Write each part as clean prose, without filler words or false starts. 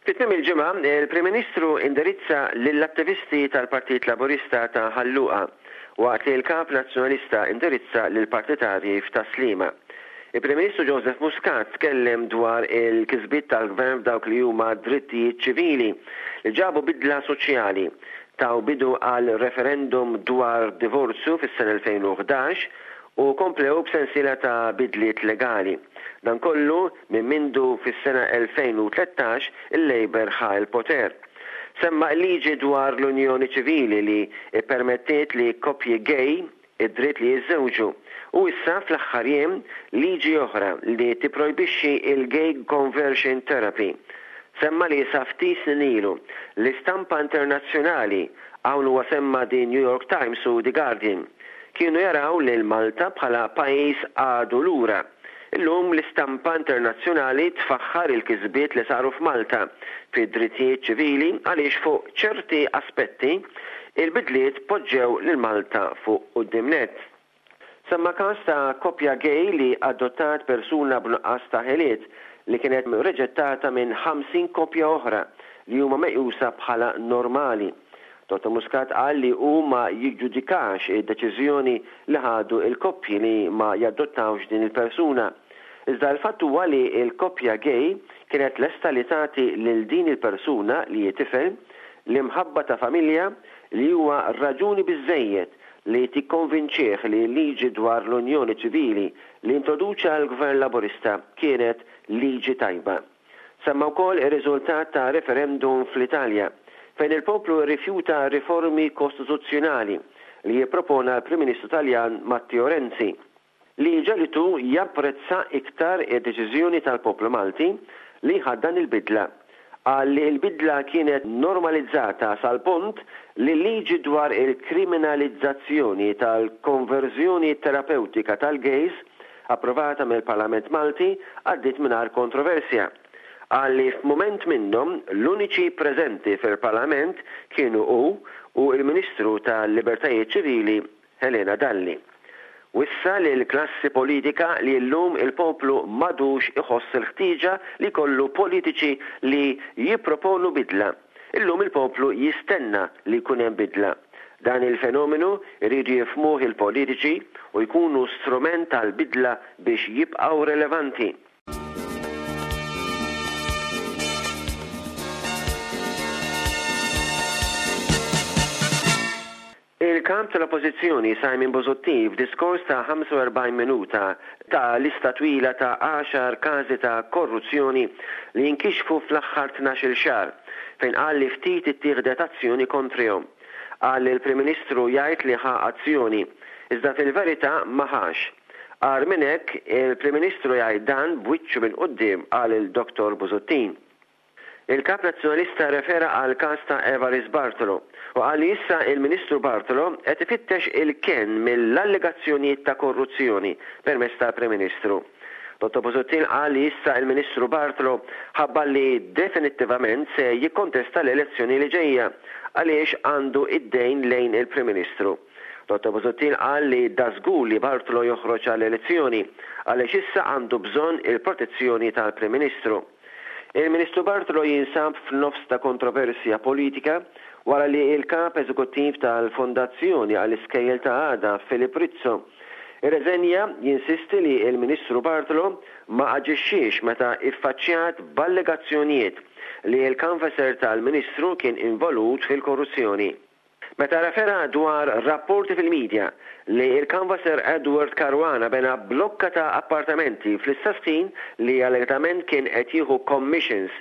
Fi tmiem il-ġimgħa, il-Prim Ministru indirizza lill-attivisti tal-Partit Laburista ta' Ħal Luqa, waqt li l-Kap Nazzjonalista indirizza lill-partitarji f'Tas-Sliema. Il-Prim Ministru Joseph Muscat tkellem dwar il-kisbiet tal-Gvern f'dawk li huma drittijiet ċivili li ġabu bidla soċjali, taw bidu għal referendum dwar divorzju fis-sena 2011 u komplew b'sensiela ta' bidliet legali. Dan kollu minn mindu fis-sena 2013 il-Labour ħa l-poter. Semma l-liġi dwar l-unjoni ċivili li ppermettiet li koppji gay id-dritt li jiżżewġu u issa fl-aħħar jiem liġi oħra li tipprojbixxi l-gay conversion therapy. Semma li sa ftit snin ilu l-istampa internazzjonali, hawn huwa semma The New York Times u The Guardian, kienu jaraw lil Malta bħala pajjiż għadu lura. Illum l-istampa internazzjonali tfaħħar il-kisbiet li saru f'Malta fid-drittijiet ċivili għaliex fuq ċerti aspetti il-bidliet poġġew lil Malta fuq quddiem nett. Semma każ ta' koppja gay li adottat persuna b'nuqqas ta' ħiliet li kienet riġettata minn 50 koppja oħra li huma meqjusa bħala normali. Dottor Muscat qal li hu ma jiġġudikax id-deċiżjoni li ħadu l-koppji li ma jadottawx din il-persuna. Iżda l-fatt huwa li l-koppja gay kienet lesta li tagħti lil din il-persuna, li hi tifel, l-imħabba ta' familja li huwa raġuni biżżejjed li tikkonvinċih li l-liġi dwar l-unjoni ċivili li introduċa l-Gvern Laburista kienet liġi tajba. Semma wkoll ir-riżultat ta' referendum fl-Italja, fejn il-poplu rrifjuta riformi kostituzzjonali li ppropona l-Prim Ministru Taljan Matteo Renzi, li ġegħlitu japprezza iktar id-deċiżjoni tal-poplu Malti li jħaddan il-bidla. Qal li l-bidla kienet normalizzata sal-punt li l-liġi dwar il-kriminalizzazzjoni tal-konverżjoni terapewtika tal-gays approvata mill-Parlament Malti għaddiet mingħajr kontroversja. Qal li f'mument minnhom l-uniċi preżenti fil-Parlament kienu hu u l-Ministru tal-Libertajiet Ċivili Helena Dalli. Wissa lill-klassi politika li llum il-poplu m'għadux iħoss il-ħtieġa li jkollu politiċi li jipproponu bidla. Illum il-poplu jistenna li jkun hemm bidla. Dan il-fenomenu jridu jifhmuh il-politiċi u jkunu strument għall-bidla biex jibqgħu relevanti. Il-Kap tal-Oppożizzjoni Simon Busuttil f'diskors ta' 45 minuta ta lista twila ta' għaxar każi ta' korruzzjoni li inkixfu fl-aħħar tnax-il xahar, fejn qal li ftit ittieħdet azzjoni kontrihom. Qal li l-Prim Ministru jgħid li ħa azzjoni, iżda fil-verità ma ħax. Agħar minn hekk, il-Prim Ministru jgħid dan b'wiċċu minn quddiem, qal il-Dottor Busuttil. Il-Kap Nazzjonalista rrefera għall-każ ta' Evarist Bartolo u qal li issa il-Ministru Bartolo qed ifittex il-kenn mill-allegazzjonijiet ta' korruzzjoni permezz tal-Prim Ministru. Dottor Busuttil qal li issa il-Ministru Bartolo ħabbar li definittivament se jikkontesta l-elezzjoni li ġejja għaliex għandu id-dejn lejn il-Prim Ministru. Dottor Busuttil qal li dażgur li Bartolo joħroġ għall-elezzjoni għaliex issa għandu bżonn il-protezzjoni tal-Prim Ministru. Il-Ministru Bartolo jinsab f'nofs ta' kontroversja politika wara li l-Kap Eżekuttiv tal-Fondazzjoni għall-Iskejjel ta' Għada Philip Rizzo irreżenja jinsisti li l-Ministru Bartolo ma aġixxiex meta iffaċċjat b'allegazzjonijiet li l-canvasser tal-Ministru kien involut fil-korruzzjoni. Meta rrefera dwar rapporti fil-media li l-canvasser Edward Caruana bena blokka ta' appartamenti fl-istess ħin li allegatament kien qed jieħu commissions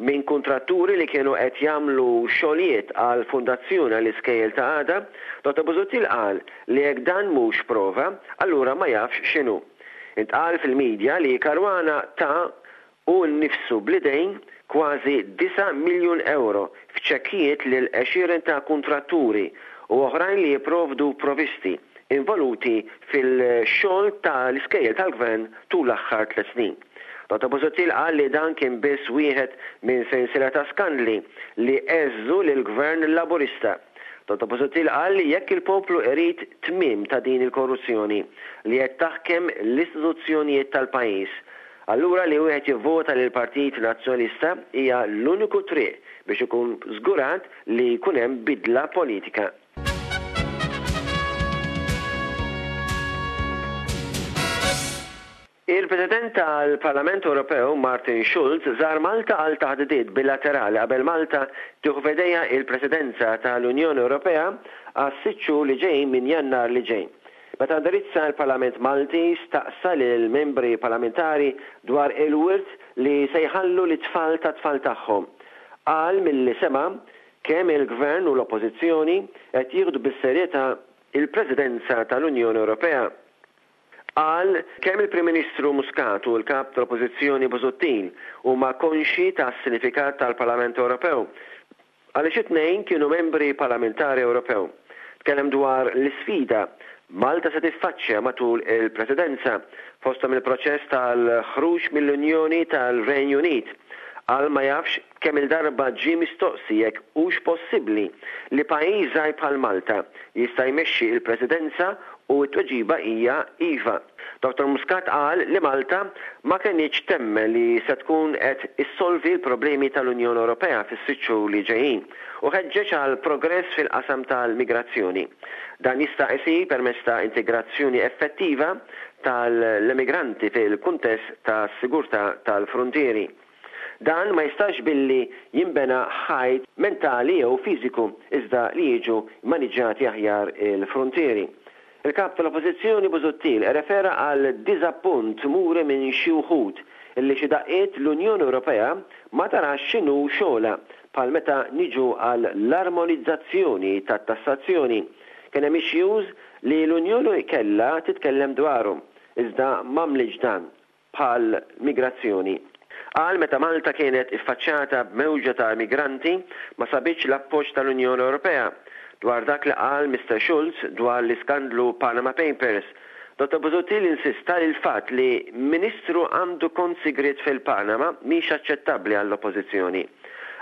minn kuntratturi li kienu qed jagħmlu xogħlijiet għall-Fondazzjoni għall-Iskejjel ta' Għada, Dottor Busuttil qal li jekk dan mhux prova, allura ma jafx x'inhu. Intqal fil-media li Caruana ta hu nnifsu bl-idejn kważi disa' miljun ewro f'ċekkijiet lil għexieren ta' kuntratturi u oħrajn li jipprovdu provisti involuti fil-xogħol ta' l-iskejjel tal-Gvern tul l-aħħar tlett snin. Dottor Busuttil qal li dan kien biss wieħed minn sensiela ta' skandli li għeżżu lill-Gvern Laburista. Dottor Busuttil qal li jekk il-poplu irid tmiem ta' din il-korruzzjoni li qed taħkem l-istituzzjonijiet tal-pajjiż, allura li wieħed jivvota lill-Partit Nazzjonalista hija l-uniku triq biex ikun żgurat li jkun hemm bidla politika. Il-President tal-Parlament Ewropew Martin Schulz żar Malta għal taħdidiet bilaterali qabel Malta tieħu f'idejha il-Presidenza tal-Unjoni Ewropea għas-sitt xhur li ġejjin minn Jannar li ġej. Meta indirizza l-Parlament Malti staqsa lill-membri parlamentari dwar il-wirt li se jħallu lit-tfal tat-tfal tagħhom. Qal milli sema' kemm il-Gvern u l-Oppożizzjoni qed jieħdu bis-serjetà il-Presidenza tal-Unjoni Ewropea. Qal kemm il-Prim Ministru Muscat u l-Kap tal-Oppożizzjoni Busuttil huma konxji tas-sinifikat tal-Parlament Ewropew għaliex it-tnejn kienu membri parlamentari Ewropew. Tkellem dwar l-isfida Malta se tiffaċċja matul il-Presidenza, fosthom il-proċess tal-ħruġ mill-Unjoni tal-Renju Unit. Qal ma jafx kemm-il darba ġie mistoqsi jekk hux possibbli li pajjiż żgħir bħal Malta jista' jmexxi l-Presidenza u t-tweġiba hija iva. Dottor Muscat qal li Malta ma kenitx temmen li se tkun qed issolvi l-problemi tal-Unjoni Ewropea fis-sitt xhur li ġejjin u ħeġġeġ għal progress fil-qasam tal-migrazzjoni. Dan jista' isir permezz ta' integrazzjoni effettiva tal-emigranti fil-kuntest tas-sigurtà tal-fruntieri. Dan ma jistax billi jinbena ħajt mentali jew fiżiku iżda li jiġu mmaniġġjati aħjar il-fruntieri. Il-Kap tal-Oppożizzjoni Busuttil irrefera għal diżappunt muri minn xi wħud illi xi daqqiet l-Unjoni Ewropea ma tarax x'inhu xogħolha bħal meta niġu għal l-armonizzazzjoni tat-tassazzjoni. Kien hemm issues li l-Unjoni kellha titkellem dwarhom iżda m'għamlitx dan. bħal migrazzjoni. Qal meta Malta kienet iffaċċjata b'mewġa ta' immigranti ma sabitx l-appoġġ tal-Unjoni Ewropea. Dwar dak li qal Mister Schulz dwar l-iskandlu Panama Papers, Dottor Busuttil insista li l-fatt li Ministru għandu kont sigriet fil-Panama mhix aċċettabbli għall-Oppożizzjoni.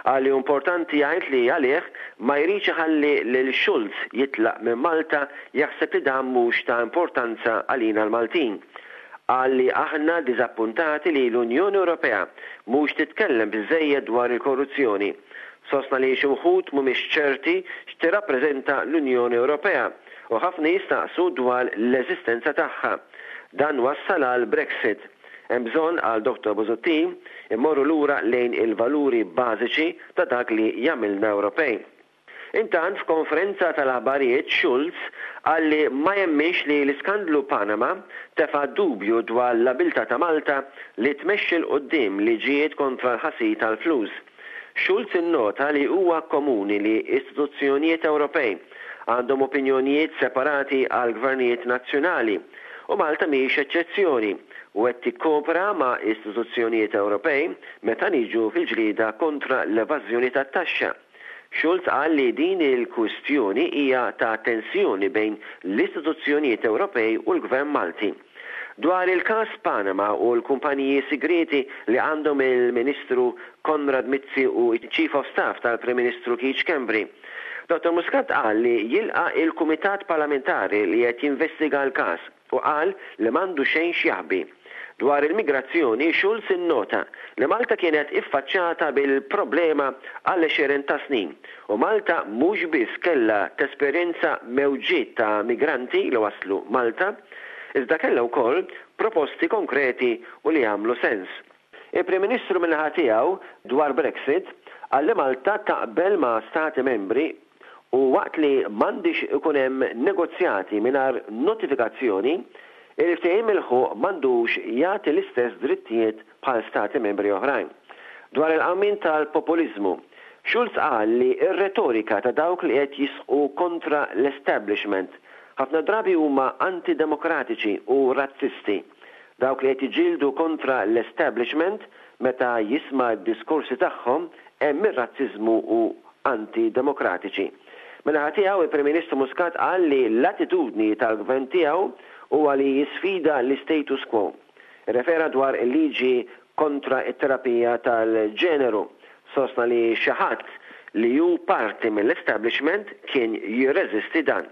Qal li hu importanti jgħid li għalih ma jridx iħalli lil Schulz jitlaq minn Malta jaħseb li dan mhux ta' importanza għalina l-Maltin. Qal li aħna diżappuntati li l-Unjoni Ewropea mhux titkellem biżżejjed dwar il-korruzzjoni. Sostna li xi wħud mhumiex ċerti x'tirrappreżenta l-Unjoni Ewropea u ħafna jistaqsu dwar l-eżistenza tagħha. Dan wassal għal Brexit. Hemm bżonn, qal Dottor Busuttil, immorru lura lejn il-valuri bażiċi ta' dak li jagħmilna Ewropej. Intant, f'konferenza tal-aħbarijiet Schulz qal li ma jemminx li l-iskandlu Panama tefa' dubju dwar l-abiltà ta' Malta li tmexxi 'l quddiem liġijiet kontra l-ħasil tal-flus. Schulz innota li huwa komuni li istituzzjonijiet Ewropej għandhom opinjonijiet separati għall-gvernijiet nazzjonali u Malta mhijiex eċċezzjoni u qed tikkopera ma' istituzzjonijiet Ewropej meta niġu fil-ġlieda kontra l-evażjoni tat-taxxa. Schulz qal li din il-kwistjoni hija ta' tensjoni bejn l-istituzzjonijiet Ewropej u l-Gvern Malti. Dwar il-każ Panama u l-kumpaniji sigrieti li għandhom il-Ministru Konrad Mizzi u ċ-Chief of Staff tal-Prim Ministru Keith Schembri, Dottor Muscat qal li jilqa' il-Kumitat Parlamentari li qed jinvestiga l-każ. u qal li m'għandu xejn x'jaħbi. Dwar il-migrazzjoni, Schulz innota li Malta kienet iffaċċjata bil-problema għal għexieren ta' snin u Malta mhux biss kellha tesperjenza mewġiet ta' migranti li waslu Malta, iżda kellha wkoll proposti konkreti u li jagħmlu sens. Il-Prim Ministru min-naħa tiegħu dwar Brexit qal li Malta taqbel ma' Stati Membri u waqt li m'għandix ikun hemm negozjati mingħajr notifikazzjoni, il-ftehim milħuq m'għandux jagħti l-istess drittijiet bħal Stati Membri oħrajn. Dwar il-qawmien tal-populiżmu, Schulz qal li r-retorika ta' dawk li qed jisħqu kontra l-establishment ħafna drabi huma anti-demokratiċi u razzisti. Dawk li qed jiġġieldu kontra l-establishment meta jisma' d-diskorsi tagħhom hemm ir-razziżmu u anti-demokratiċi. Min-naħa tiegħu, il-Prim Ministru Muscat qal li l-attitudni tal-Gvern tiegħu huwa li jisfida l-istatus quo. Irrefera dwar il-liġi kontra t-terapija tal-ġeneru. Sostna li xi ħadd li hu parti mill-establishment kien jirreżisti dan.